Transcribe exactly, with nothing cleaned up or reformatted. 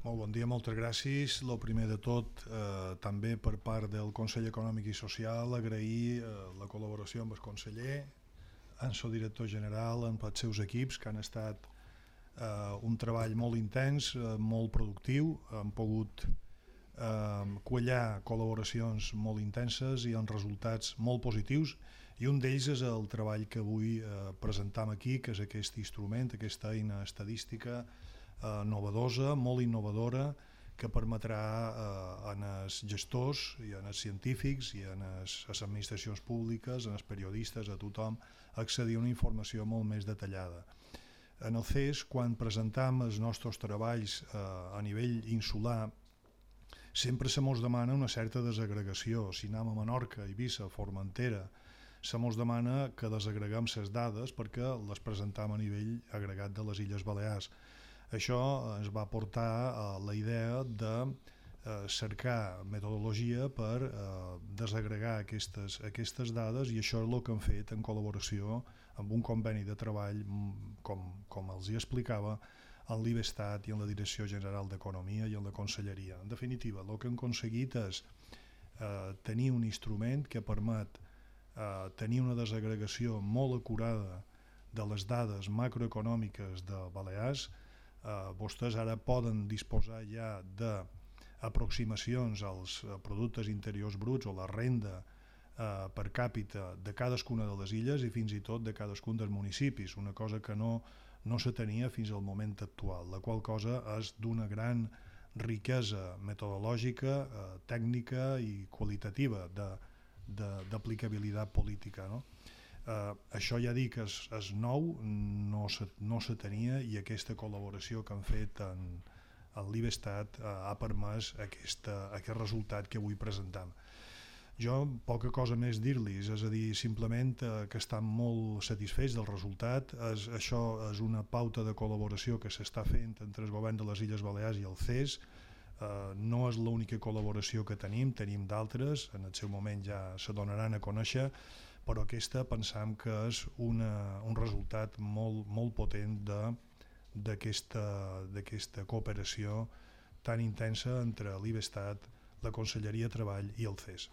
Molt bon dia, moltes gràcies. El primer de tot, eh, també per part del Consell Econòmic i Social, agrair eh, la col·laboració amb el conseller, amb el director general, amb els seus equips, que han estat eh, un treball molt intens, eh, molt productiu, han pogut eh, quallar col·laboracions molt intenses i amb resultats molt positius, i un d'ells és el treball que avui eh, presentam aquí, que és aquest instrument, aquesta eina estadística eh, novedosa, molt innovadora, que permetrà eh, als gestors i als científics i a les administracions públiques, als periodistes, a tothom, accedir a una informació molt més detallada. En el C E S, quan presentam els nostres treballs eh, a nivell insular, sempre se mos demana una certa desagregació. Si anem a Menorca, Eivissa, Formentera, se mos demana que desagreguem les dades perquè les presentam a nivell agregat de les Illes Balears. Això ens va portar a la idea de eh, cercar metodologia per eh, desagregar aquestes, aquestes dades, i això és el que hem fet en col·laboració amb un conveni de treball, com, com els hi explicava, en l'IBESTAT i en la Direcció General d'Economia i en la Conselleria. En definitiva, el que hem aconseguit és eh, tenir un instrument que permet eh, tenir una desagregació molt acurada de les dades macroeconòmiques de Balears. Uh, vostès ara poden disposar ja d'aproximacions als productes interiors bruts o la renda uh, per càpita de cadascuna de les illes i fins i tot de cadascun dels municipis, una cosa que no, no se tenia fins al moment actual, la qual cosa és d'una gran riquesa metodològica, uh, tècnica i qualitativa d'aplicabilitat política, no? Uh, això ja dic, és, és nou, no se, no se tenia, i aquesta col·laboració que han fet en, en l'IBESTAT uh, ha permès aquesta, aquest resultat que avui presentam. Jo poca cosa més dir-los, és a dir, simplement uh, que estan molt satisfets del resultat. És, això és una pauta de col·laboració que s'està fent entre el govern de les Illes Balears i el C E S. Uh, no és l'única col·laboració que tenim, tenim d'altres, en el seu moment ja se donaran a conèixer, però aquesta pensam que és una, un resultat molt, molt potent d'aquesta cooperació tan intensa entre l'IBESTAT, la Conselleria de Treball i el C E S.